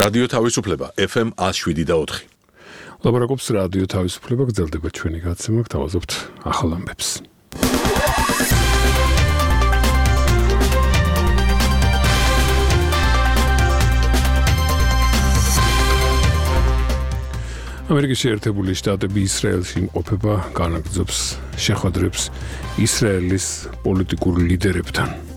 რადიო თავისუფლება FM 107.4. ლაპარაკობს რადიო თავისუფლება, გრძელდება ჩვენი გადაცემა, გთავაზობთ ახალ ამბებს. ამერიკის შეერთებული შტატები ისრაელში იმყოფება განაგრძობს შეხვედრებს ისრაელის პოლიტიკურ ლიდერებთან.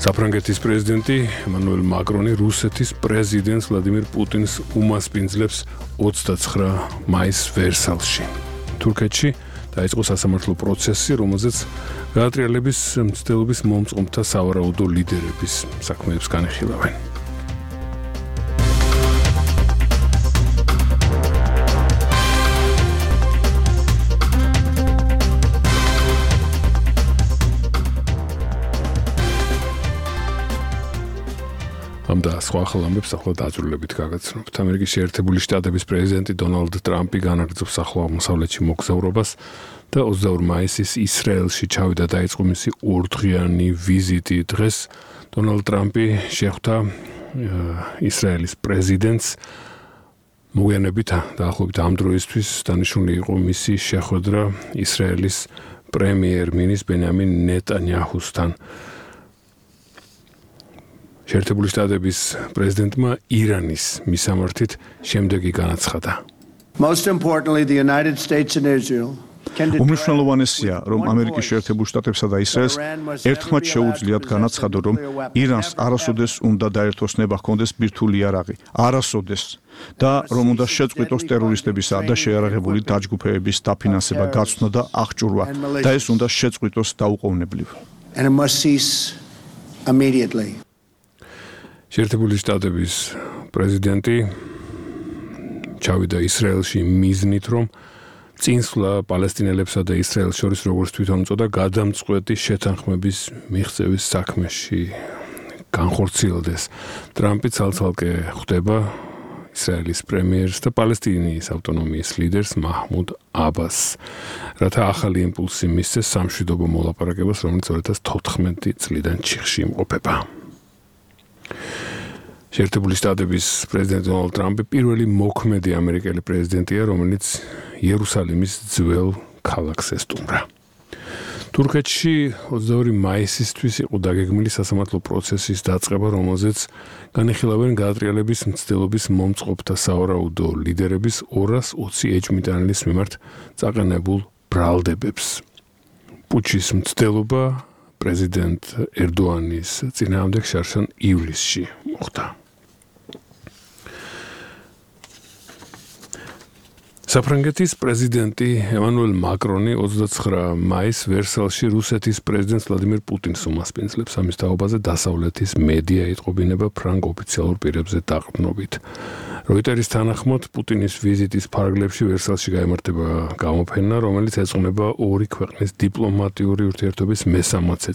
საფრანგეთის პრეზიდენტი ემანუელ მაკრონი რუსეთის პრეზიდენტს ვლადიმირ პუტინს უმასპინძლებს 29 მაისს ვერსალში. თურქეთში დაიწყო სასამართლო პროცესი, რომელზეც გაატრიალების მცდელობის მომწყობთა სავარაუდო ლიდერების საქმეებს განეხილავენ. და სხვა ახალ ამბებს ახლა დაძრულებით გაგაცნობთ. ამერიკის შეერთებული შტატების პრეზიდენტი დონალდ ტრამპი განაგრძობს ახლო აღმოსავლეთში მოგზაურობას და 22 მაისის ისრაელში ჩავიდა დაიწყო მისი ორდღიანი ვიზიტი. დღეს დონალდ ტრამპი შეხვდა ისრაელის პრეზიდენტს. მოგვიანებით დაახლოებით ამ დროისთვის დანიშნული იყო მისი შეხვედრა ისრაელის პრემიერ-მინისტრ ბენიამინ ნეტანიაჰუსთან. შეერთებული შტატების პრეზიდენტმა ირანის მისამართით შემდეგი განაცხადა. Most importantly, the United States and Israel უმნიშვნელოვანესია, რომ ამერიკის შეერთებულ შტატებსა და ისრაელს ერთხმად შეუძლიათ განაცხადონ, რომ ირანს არასოდეს უნდა დაერთოსნება ჰქონდეს ბირთვული იარაღი, არასოდეს და რომ უნდა შეწყვიტოს ტერორისტებისა და შეიარაღებული დაჯგუფებების დაფინანსება, გაცვლა და აღჭურვა და ეს უნდა შეწყვიტოს დაუყოვნებლივ. And it must cease immediately. შეერთებული შტატების პრეზიდენტი ჩავიდა ისრაელში მიზნით, რომ წინსვლა პალესტინელებსა და ისრაელს შორის როგორც თვითონ უწოდა გადამწყვეტი შეთანხმების მიღწევის საქმეში განხორციელდეს. ტრამპი ცალ-ცალკე ხვდება ისრაელის პრემიერს და პალესტინის ავტონომიის ლიდერს მაჰმუდ აბასს, რათა ახალი იმპულსი მისცეს სამშვიდობო მოლაპარაკებას, რომელიც 2014 წლიდან ჩიხში იმყოფება. შეერთებული შტატების პრეზიდენტი დონალდ ტრამპი პირველი მოქმედი ამერიკელი პრეზიდენტია, რომელიც იერუსალიმის ძველ ქალაქს ესტუმრა. თურქეთში 22 მაისისთვის იყო დაგეგმილი სასამართლო პროცესის დაწყება, რომელზეც განიხილავენ გაატრიალების მცდელობის მომწყობთა სავარაუდო ლიდერების 220 ეჭვმიტანილის მიმართ წაყენებულ ბრალდებებს. პუჩის მცდელობა პრეზიდენტ ერდოანის წინააღმდეგ შარშან ივლისში მოხდა. საფრანგეთის პრეზიდენტი ემანუელ მაკრონი 29 მაისს ვერსალში რუსეთის პრეზიდენტს ვლადიმირ პუტინს უმასპინძლებს. ამის თაობაზე დასავლეთის მედია იტყობინება ფრანგ ოფიციალურ პირებზე დაყრდნობით. როიტერის თანახმად პუტინის ვიზიტის ფარგლებში ვერსალში გაიმართება გამოფენა, რომელიც ეძღვნება ორი ქვეყნის დიპლომატიური ურთიერთობის მესამასე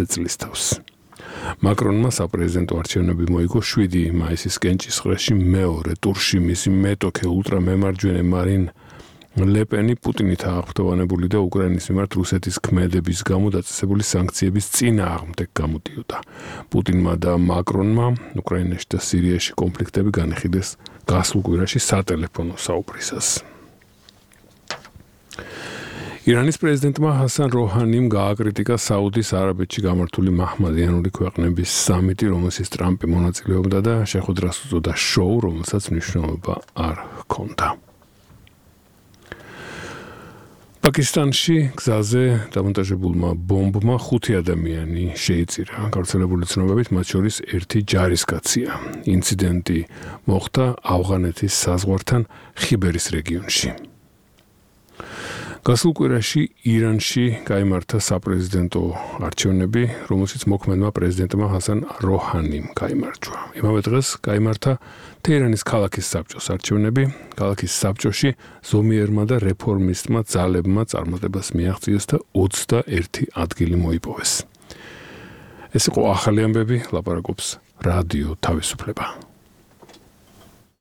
წლის თავს. მაკრონმა საპრეზიდენტო არჩევნები მოიგო 7 მაისის კენჭისყრაში მეორე ტურში. მისი მეტოქე ულტრამემარჯვენე მარინ ლეპენი პუტინით აღფრთოვანებული და უკრაინის მიმართ რუსეთის ქმედების გამო დაწესებული სანქციების წინააღმდეგ გამოდიოდა. პუტინმა და მაკრონმა უკრაინაში და სირიაში კონფლიქტები განიხილეს გასულ კვირაში სატელეფონო საუბრისას. ირანის პრეზიდენტმა ჰასან როჰანიმ გააკრიტიკა საუდის არაბეთში გამართული მაჰმადიანური ქვეყნების სამიტი, რომელშიც ტრამპი მონაწილეობდა და შეხვედრას უწოდა შოუ, რომელსაც მნიშვნელობა არ ჰქონდა. პაკისტანში გზაზე დამონტაჟებულმა ბომბმა 5 ადამიანი შეიწირა. გავრცელებული ცნობებით მათ შორის ერთი ჯარისკაცია. ინციდენტი მოხდა ავღანეთის საზღვართან ხიბერის რეგიონში. გასულ კვირაში ირანში გაიმართა საპრეზიდენტო არჩევნები, რომელშიც მოქმედმა პრეზიდენტმა ჰასან როჰანიმ გაიმარჯვა. იმავე დღეს გაიმართა თეირანის ქალაქის საბჭოს არჩევნები. ქალაქის საბჭოში ზომიერმა და რეფორმისტმა ძალებმა წარმატებას მიაღწიეს და 21 ადგილი მოიპოვეს. ეს იყო ახალი ამბები, ლაპარაკობს რადიო თავისუფლება.